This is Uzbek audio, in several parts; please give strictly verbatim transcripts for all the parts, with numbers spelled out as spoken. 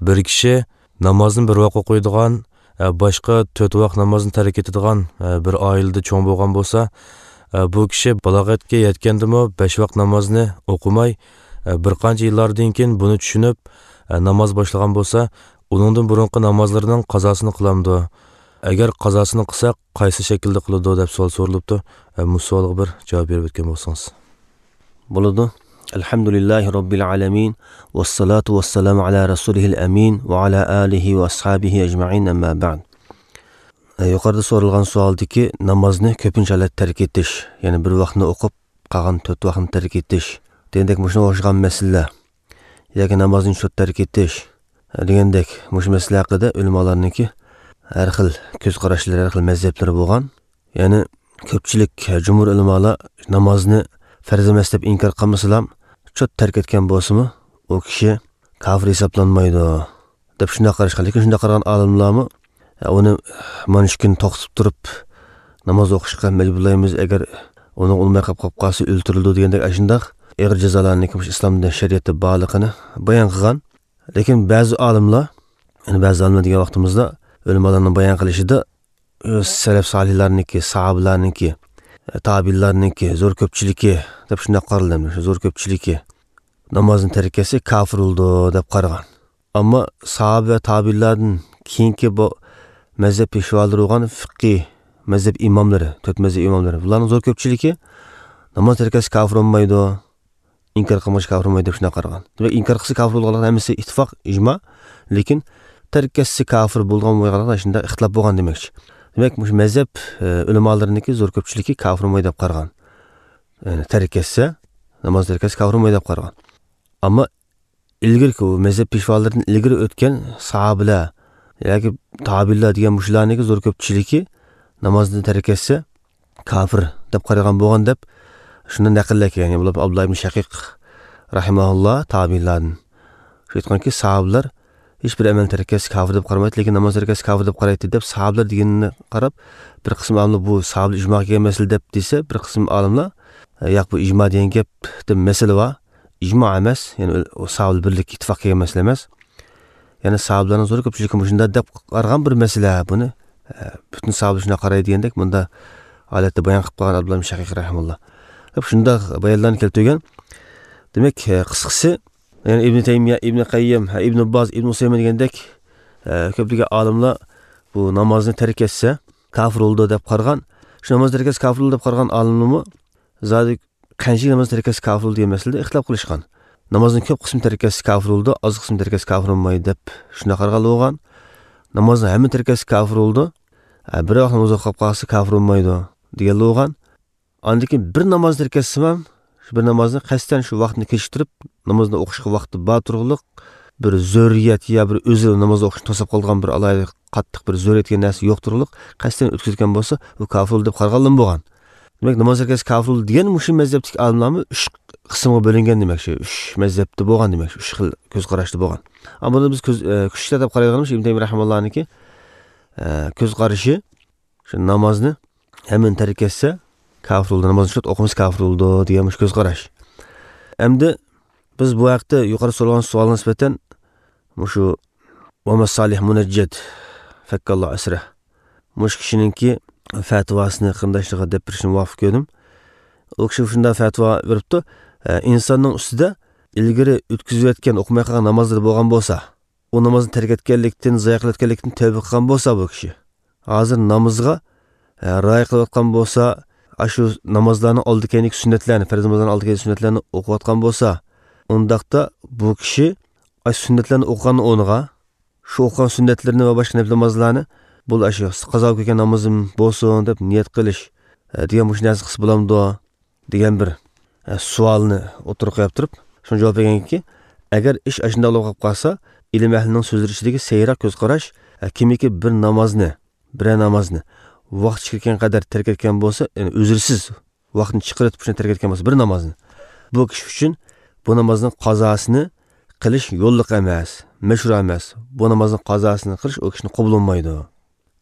Bir kishi namozni bir vaqt o'qiydigan, boshqa to'rt vaqt namozni tark etadigan bir oilada cho'ng bo'lgan bo'lsa, bu kishi balog'atga yetgandimi besh vaqt namozni o'qimay, bir qancha yillardan keyin buni tushunib namoz boshlagan bo'lsa, uningdan burunqi namozlarining qazosini qilamdi. Agar qazosini qilsa, qaysi shaklda qiladi deb savol so'ralibdi. Bu savolga bir javob berib o'tgan bo'lsangiz. Bo'ladi. Alhamdulillahi robbil alamin vassalatu vassalamu ala rasulihil amin va ala alihi va ashabihi ajmain, amma ba'd. Yuqorida so'ralgan savoldagi namozni ko'pincha holat tark etish, ya'ni bir vaqtni o'qib, qolgan to'rt vaqtni tark etish degandek mushuna o'xshagan masala yoki namozni shu tark etish degandek mush masala haqida ulamolarniki har xil ko'z qarashlari, har xil mazhablari bo'lgan. Ya'ni ko'pchilik jumhur ulamolar namozni farz emas deb inkor qilmasalar, cho't tark etgan bo'lsa-mu, u kishi kofir hisoblanmaydi deb shunday qarashgan. Lekin shunday qaragan olimlarmi uni mana shu kun to'xtatib turib namoz o'qishga majburlaymiz, agar uni o'lmay qolib qolsa o'ltirildi degandek shunday og'ir jazolarni islomda shariatda borligini bayon qilgan. Lekin ba'zi olimlar, ya'ni ba'zi olimlar degan vaqtimizda ulamolarning bayon qilishida salaf solihlarniki, sahobalarniki, tabiinlarniki zo'r ko'pchiligi deb shunday qaraldi. Shu zo'r ko'pchiligi namozni tark etsa kofir bo'ldi deb qaragan. Ammo sahoba va tabiinlardan keyingi bu mazhab peshvolari bo'lgan fiqhiy mazhab imomlari, to'rt mazhab imomlari, bularning zo'r ko'pchiligi namoz tark etsa kofir bo'lmaydi, inkor qilmash kofir bo'lmaydi deb shunday qaragan. Demak, inkor qilsa kofir bo'lganlar hammasi ittifoq, ijmo, lekin tark etsa kofir bo'lgan bo'lganlar shunda ixtilof bo'lgan demakchi. Demak, shu mazhab ulamolarniki zo'r ko'pchiligi kofir bo'lmaydi deb qaragan. Ya'ni tark etsa, namoz tark etsa kofir bo'lmaydi deb qaragan. Ammo ilgirki u mazhab peshvolaridan ilgari o'tgan sahobalar yoki tabiinlar degan mushularniki zo'r ko'pchiligi namozni tark etsa kofir deb qaragan bo'lgan deb shundan naqllar kelgan. Ya'ni bular Abdulloh ibn Shaqiq rahimahulloh tabiinlardan shu aytganki, sahobalar hech bir amal tark etsa kofir deb qaramaydi, lekin namoz tark etsa kofir deb qaraydi deb sahobalar deganini qarab, bir qism olimlar bu sahobalar ijmoga kelgan masala deb desa, bir qism olimlar yo'q, bu ijmo degan gap deb masala bor, ijmo emas, ya'ni sahobalar birlik ittifoq kelgan masala emas. Ya'ni sahobalarning zo'r ko'pchiligi shunday deb qaragan bir masala, buni butun sahobalar shunday qaraydi degandek bunda holatda bayon qilib qo'ygan Abdulloh ibn Shaqiq rahimahulloh. Deb shunday bayonlarni keltirgan. Demak, qisqasi, ya'ni Ibn Taymiya, Ibn Qayyim, Ibn Boz, Ibn Usaymin degandek ko'plagan olimlar bu namozni tark etsa kofir bo'ldi deb qaragan. Shu namoz tark etsa kofir bo'ldi deb qaragan olimlarmi zodi qancha namoz tark etsa kofir bo'ldi degan masalada ixtilof qilishgan. Namozning ko'p qismi tark etsa kofir bo'ldi, oz qismi tark etsa kofir bo'lmaydi deb shunday qaragan bo'lgan. Namozni hamma tark etsa kofir bo'ldi, bir vaqt namoz o'qib qolsa kofir bo'lmaydi degan bo'lgan. Andan keyin bir namoz tark etsa ham shu bir namozni qasddan shu vaqtni kechiktirib namozni o'qishga vaqti bor turg'liq bir zo'riyat ya bir o'zi namoz o'qishni to'sib qolgan bir alohida qattiq bir zo'riyat degan narsa yo'q turg'liq qasddan o'tkazgan bo'lsa u kofir deb qaraganlim bo'lgan. Demak, namoz tark etsa kofir degan mushu mazhabdagi olimlarmi uch qismga bo'lingan demak, shu uch mazhabda bo'lgan demak, uch xil ko'z qarashda bo'lgan. Ammo buni biz ko'z kuchli deb qaraydiganimiz Ibn Taymiya rahimahullohniki ko'z qarashi shu namozni hamma tark etsa kofir bo'ldi, namozni shu o'qimasa kofir bo'ldi degan shu ko'z qarash. Endi biz bu haqda yuqori so'ralgan savolga nisbatan shu Muhammad Solih Munajjad fakkallohu asra mush kishininki fatvosini qarindoshlarga deb berishni muvofiq ko'rdim. U kishi shunday fatvo beribdi: insonning ustida ilgari o'tkazayotgan o'qimay qolgan namozlari bo'lgan bo'lsa, u namozni tark etganlikdan, zoya qilayotganlikdan tavba qilgan bo'lsa, bu kishi hozir namozga rioya qilayotgan bo'lsa, shu namozlarni oldi keyingi sunnatlarni, farz namozlarni oldi keyingi sunnatlarni o'qiyotgan bo'lsa, undaqda bu kishi sunnatlarni o'qigan o'rniga shu o'qigan sunnatlarni va boshqa nafl namozlarni bu shu qazo kelgan namozim bo'lsin deb niyat qilish degan shu narsa qilsa bo'lamdi degan bir savolni o'tirib qo'yib turib, shunga javob berganki, agar ish shunday bo'lib qolsa, ilm ahlining so'zlari ichidagi seyroq ko'z qarash, kimiki bir namozni, bir namozni vaqt chiqargan qadar tark etgan bo'lsa, ya'ni uzrsiz vaqtni chiqarib shuni tark etgan bo'lsa bir namozni, bu kishi uchun bu namozning qazosini qilish yo'lliq emas, mashru emas. Bu namozning qazosini qilish u kishini qabul bo'lmaydi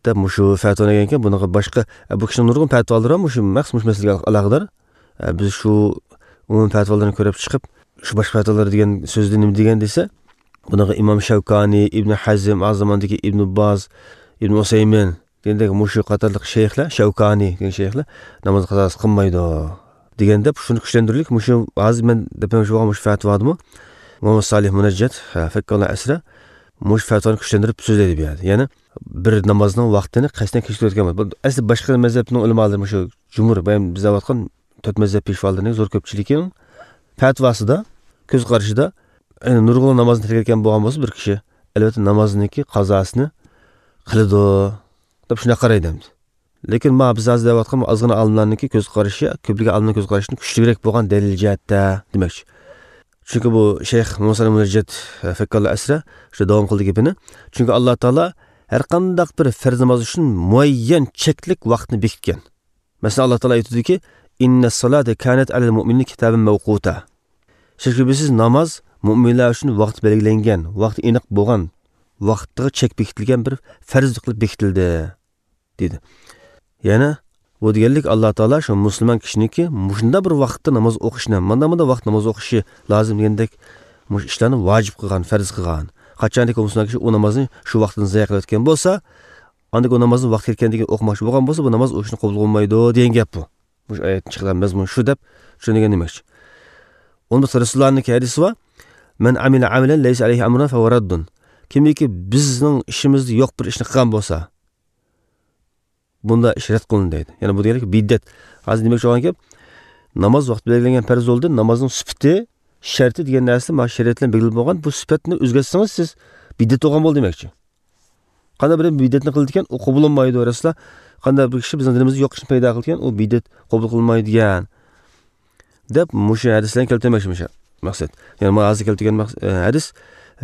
deb shu fatvoni degan ekan. Bunaqa boshqa bu kishining nurg'un fatvolari ham shu maxsus masalaga aloqador. Biz shu umumiy fatvolarni ko'rib chiqib, shu boshqa fatvolar degan so'zni nima degan desa, Bunaqa Imom Shavkani, Ibn Hazm, az zamondagi Ibn Baz, Ibn Usaymin degandek mushu qatorliq shayxlar, Shavkani degan shayxlar namoz qazosi qilmaydi deganda shuni kuchlantirdik. Mushu hozir men deb shu bo'lgan mushu fatvodimi Muhammad Salih Munajjat fakkallah asra mush fatvoni kuchlantirib so'zlaydi bu yerda. Ya'ni bir namozning vaqtini qasddan kechiktirayotgan bo'ladi. Bu asli boshqa mazhabning ulamolari mushu jumhur bayam biz aytgan to'rt mazhab peshvolarining zo'r ko'pchiligining fatvosida ko'z qarashida yani nurg'un namozni tark etgan bo'lgan bo'lsa bir kishi albatta namozniki qazosini qiladi deb shunday qaraydi endi. Lekin ma biz hozir deyotgan ozgina olimlarniki ko'z qarashi ko'pligi olimlarning ko'z qarashidan kuchliroq bo'lgan dalil jihatda demakchi. Chunki bu shayx Musa Munajjat fakkallah asra shu davom qildi gapini. Chunki Alloh taolo har qanday bir farz namoz uchun muayyan cheklik vaqtni bekitgan. Masalan Alloh taolo aytadiki, inna salata kanat alal mu'minina kitaban mawquta. Shak-shubhasiz namoz mu'minlar uchun vaqt belgilangan, vaqti aniq bo'lgan, vaqtiga chek bekitilgan bir farz qilib bekitildi dedi. Yana bu deganlik Alloh taolo shu musulmon kishiniki mushunda bir vaqtda namoz o'qishni, manda manda vaqt namoz o'qishi lozim degandek mush ishlarni vojib qilgan, farz qilgan. Qachonki musulmon kishi u namozni shu vaqtini zayo qilayotgan bo'lsa, andagi u namozni vaqt kelgandan keyin o'qimoqchi bo'lgan bo'lsa, bu namoz o'qishni qabul bo'lmaydi degan gap bu. Bu oyatdan chiqqan mazmun shu deb tushungan demakchi. Unda Rasulullohning hadisi bor. Man amila amalan laysa alayhi amruna fa huwa raddun. Kimiki bizning ishimizda yo'q bir ishni qilgan bo'lsa, bunda ish rad qilindi deydi. Ya'ni bu deganlik biddat. Hozir demakchi bo'lgan gap, namoz vaqti belgilangan farz bo'ldi, namozning sifati, sharti degan narsa mana shariat bilan belgilab bo'lgan. Bu sifatni o'zgartsangiz siz biddat bo'lgan bo'ldi demakchi. Qanday bir biddatni qildi ekan, u qabul bo'lmaydi Rasululloh. Qanday bir kishi bizning dinimizda yo'q ishni paydo qildi ekan, u biddat qabul qilinmaydigan deb mushu hadislarni keltirmoqchi mushu maqsad. Ya'ni mana hozir keltirgan hadis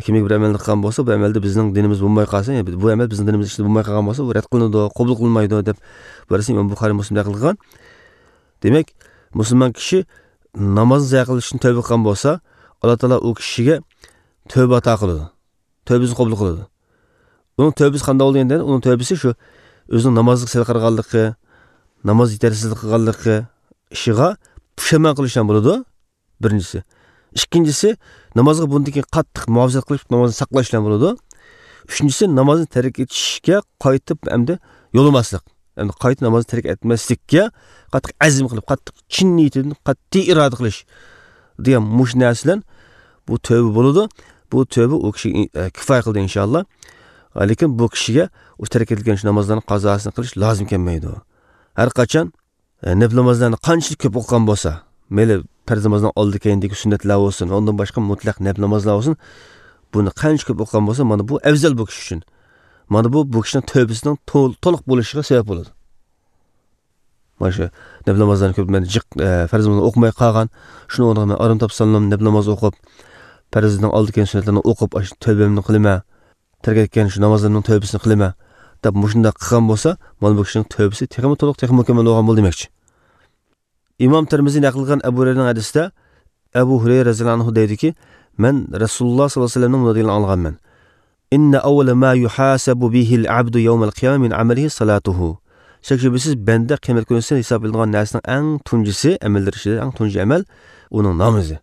kimiki bir amalni qilgan bo'lsa, bu amalda bizning dinimiz bo'lmay qolsa, ya'ni bu amal bizning dinimiz ichida bo'lmay qolgan bo'lsa, bu rad qilinadi, qabul qilinmaydi deb bu hadisni Imom Buxoriy Muslim naql qilgan. Demak, musulmon kishi namozni zayo qilishdan tavba qilgan bo'lsa, Alloh taolo u kishiga tavba ato qiladi. Tavbasini qabul qiladi. Uning tavbasi qanday bo'ldi endi? Uning tavbasi shu o'zining namozga sal qarag'anligi, namoz yetersizlik qilganligi ishiga pushaymon qilishdan bo'ladi, birinchisi. Ikkinchisi, namozga bundan keyin qattiq muhofazat qilib, namozni saqlashdan bo'ladi. Uchinchisi, namozni tark etishga qaytib endi yo'lamaslik. Endi qaytib namozni tark etmaslikka qattiq azm qilib, qattiq chin niyatidan qat'iy iroda qilish degan mush narsalar bu tavba bo'ladi. Bu tavba u kishiga kifoya qildi inshaalloh. Lekin bu kishiga u tark etilgan shu namozlarning qazosini qilish lozim kelmaydi. Har qachon nafl namozlarni qanchalik ko'p o'qigan bo'lsa, mayli farz namozdan oldi keyindagi sunnatlar bo'lsin, undan boshqa mutlaq nafl namozlar bo'lsin, buni qancha ko'p o'qigan bo'lsa, mana bu afzal bu kishi uchun. Mana bu bu kishining tavbasining to'liq bo'lishiga sabab bo'ladi. Mana shu nafl namozlarni ko'p men jiq farz namozni o'qimay qolgan, shuni o'rniga men orom topsam nafl namoz o'qib, farzdan oldi keyin sunnatlarni o'qib, shu tavbamni qilaman, tark etgan shu namozlarning tavbasini qilaman deb mushunda qilgan bo'lsa, mana bu kishining tavbasi texmi to'liq, texmi mukammal bo'lgan bo'ldi demakchi. Imom Termiziy naql qilgan Abu Hurayraning hadisida Abu Hurayra roziyallohu anhu deydiki, men Rasululloh sollallohu alayhi vasallamning bunday deganini olganman. Inna awwala ma yuhasabu bihi al-abdu yawm al-qiyamah min amalihi salatuhu. Shak-shubhasiz banda qiyomat kunida hisob qilinadigan narsaning eng tunjisi, amallar ichida eng tunji amal uning namozi.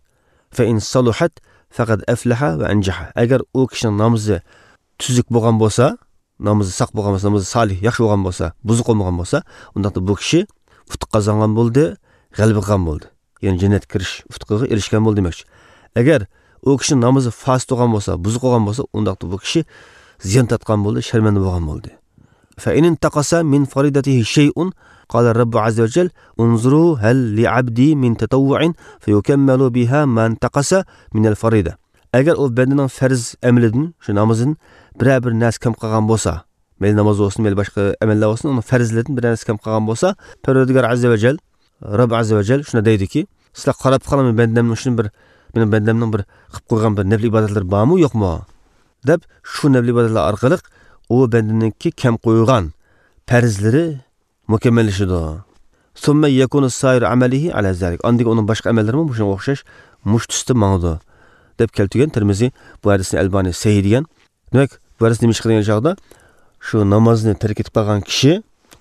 Fa in saluhat faqad aflaha va anjaha. Agar u kishining namozi tuzuk bo'lgan bo'lsa, namozi saq bo'lgan bo'lsa, namozi solih, yaxshi bo'lgan bo'lsa, buzuq bo'lmagan bo'lsa, unda bu kishi utuq qozongan bo'ldi, g'alaba qilgan bo'ldi. Ya'ni jannatga kirish utuqiga erishgan bo'ldi demakchi. Agar u kishi namozi fasid bo'lgan bo'lsa, buzuq bo'lgan bo'lsa, unda bu kishi ziyon tortgan bo'ldi, sharmanda bo'lgan bo'ldi. Fa in intaqasa min faridatihi shay'un qala Robbu azza va jalla unzuru hal li abdi min tatawwu'in fayukammalu biha ma intaqasa min al-farida. Agar u bandaning farz amalidan, shu namozidan biror bir narsa kam qolgan bo'lsa, mayli namoz bo'lsin, mayli boshqa amallar bo'lsin, uni farzlaridan biror narsa kam qolgan bo'lsa, Parvardigor azza va jalla, Robb azza va jalla shuni deydiki, sizlar qarab qoling, bandamning shuni bir, mening bandamning bir qilib qo'ygan bir nafl ibodatlari bormi, yo'qmi deb shu nafl ibodatlar orqali u bandaningki kam qo'ygan farzlari mukammallashadi. Summa yakunu sair amalihi ala zalik. Andagi uning boshqa amallari ham shunga o'xshash mush tusda mangdi deb keltirgan Termiziy bu hadisni Albani sahih degan. Demak, bu hadis nima ish qilgan chog'da shu namozni tark etib qolgan kishi,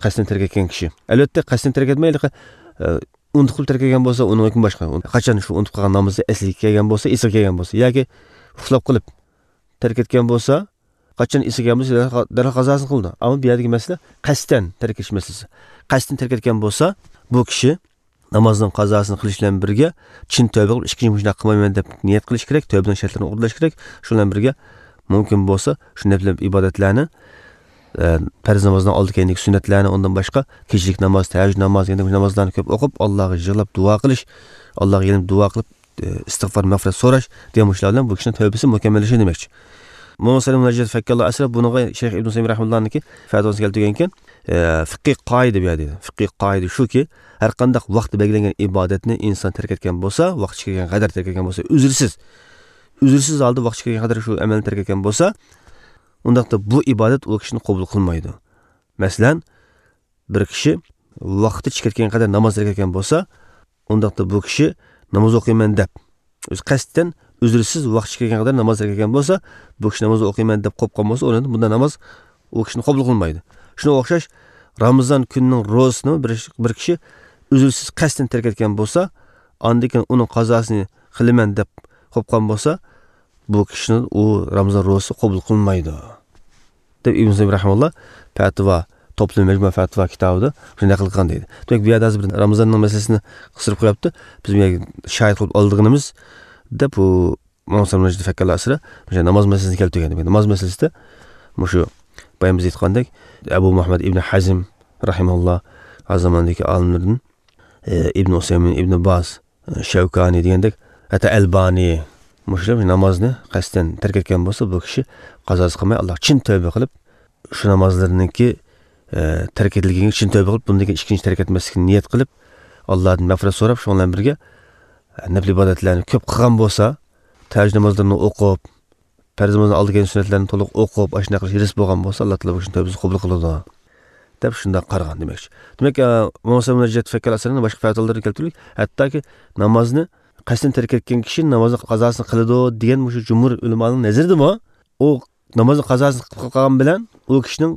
qasddan tark etgan kishi. Albatta qasddan tark etmaydi, unutib qilib tark etgan bo'lsa, uning hukmi boshqa. Qachon shu unutib qolgan namozni esliga kelgan bo'lsa, esiga kelgan bo'lsa yoki uxlab qolib tark etgan bo'lsa, qachon esiga kelsa darhol qazosini qildi. Ammo bu yerdagi masala qasddan tark etish masalasi. Qasddan tark etgan bo'lsa, bu kishi namozning qazosini qilish bilan birga chin tavba qilib, ikkinchi shunday qilmayman deb niyat qilish kerak, tavbaning shartlarini o'rlash kerak. Shu bilan birga mumkin bo'lsa, shu nafl ibodatlarni, farz namozdan oldi keyindagi sunnatlarni, undan boshqa kechlik namoz, tahajjud namozi, degan namozlarni ko'p o'qib, Allohga yig'lab duo qilish, Allohga yelinib duo qilib, istig'for, mag'firat so'rash degan shular bilan bu kishining tavbasi mukammallashishi demakchi. Muhammad Salim Najat Fakkalloh asra buniga Shayx Ibn Usaymin rahimahullohniki fatvosi keltirgan ekan, fiqhiy qoida bu yerda. Fiqhiy qoida shuki, har qanday vaqt belgilangan ibodatni inson tark etgan bo'lsa, vaqt kirgan qadar tark etgan bo'lsa, uzrsiz, uzrsiz holda vaqt kirgan qadar shu amalni tark etgan bo'lsa, undaqda bu ibodat u kishini qabul qilmaydi. Masalan, bir kishi vaqti chiqayotgan qadar namoz tark etgan bo'lsa, undaqda bu kishi namoz o'qiyman deb o'zi qasddan uzrsiz vaqt chiqayotgan qadar namoz tark etgan bo'lsa, bu kishi namoz o'qiyman deb qo'yib qolgan bo'lsa, o'rnida bunda namoz u kishini qabul qilmaydi. Shunga o'xshash Ramazon kunining ro'zasini bir, bir kishi uzrsiz qasddan tark etgan bo'lsa, andan keyin uning qazosini qilaman deb qo'yib qolgan bo'lsa, bu kishini u Ramazon ro'zasi qabul qilmaydi. Deb Ibn Sayyid rahimahulloh fatvo to'plam majmu fatvo kitobida shunday qilgan deydi. Demak, bu yerda hozir bir Ramazonning masalasini qisirib qo'yapti. Biz bu yerga shohid qilib oldig'imiz deb bu Muhammad Najib Fakkalloh asra o'sha namoz masalasini keltirgan. Demak, namoz masalasida shu boya biz aytgandek Abu Muhammad ibn Hazm rahimahulloh azamandagi olimlardan Ibn Usaymin, Ibn Baz, Shavkani degandek, hatto Albani mushlar namozni qasddan tark etgan bo'lsa, bu kishi qazosi qilmay Alloh chin tavba qilib, shu namozlarniki tark etilganiga chin tavba qilib, bundan keyin ikkinchi tark etmaslikni niyat qilib, Allohdan mag'firat so'rab, shu bilan birga nafl ibodatlarni ko'p qilgan bo'lsa, tahajjud namozlarini o'qib, farz namozdan oldi kelgan sunnatlarni to'liq o'qib, ashuna qilish hiris bo'lgan bo'lsa, Alloh taolo bu kishini tavbasini qabul qiladi deb shunday qaragan demakchi. Demak, Muhammad Najat Fakkal asrining boshqa fatvolarida keltirilgan, hattoki namozni qasddan tark etgan kishi namozni qazosini qiladi degan shu jumhur ulamoning nazaridami, u namozni qazosini qilib qolgan bilan u kishining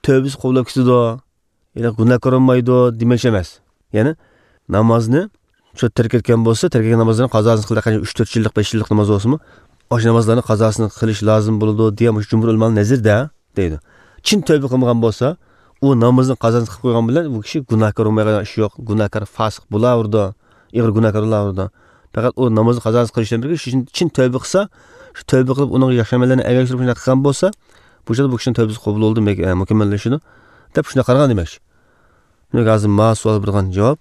tavbasi qabul bo'lib ketadi, ya'ni gunohkor bo'lmaydi demak emas. Ya'ni namozni shu tark etgan bo'lsa, tark etgan namozini qazosini qildi, qancha uch to'rt yillik, besh yillik namoz bo'lsinmi, o'sha namozlarni qazosini qilish lozim bo'ladi degan shu jumhur ulamoning nazarida deydi. Chin tavba qilmagan bo'lsa, u namozni qazosini qilib qo'ygan bilan bu kishi gunohkor bo'lmaydigan ish yo'q, gunohkor fosiq bo'laverdi, ig'ir gunohkor bo'laverdi. Faqat u namozni qazosini qilishdan birga shu chin tavba qilsa, shu tavba qilib uning yaxshi amallarni ergashtirib shunday qilgan bo'lsa, bu yerda bu kishining tavbasi qabul bo'ldi, mukammallashadi deb shunday qaragan demak. Demak, hozir ma savol bergan javob,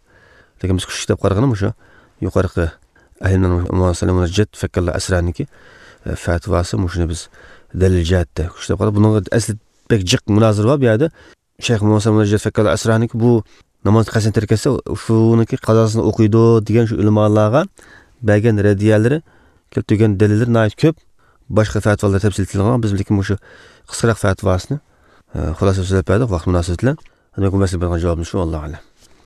lekin biz kuchli deb qaraganim o'sha yuqorqi ahlimdan Muhammad Najat Fakkalloh asraniki fatvosi, shuni biz dalil jihatda kuchli deb qarab, buning asli pek jiq munozara bor bu yerda. Shayx Muhammad Najat Fakkalloh asraniki bu namoz qasddan tark etsa, shuniki qazosini o'qiydi degan shu ulamolarga bergan radiyalari, keltirgan dalillar nihoyat ko'p. Boshqa fatvolar tafsil etilgan, biz lekin shu qisqaroq fatvosini xulosa so'zlab berdik vaqt munosabati bilan. Demak, bu masala bergan javobimiz shu, Allohu a'lam.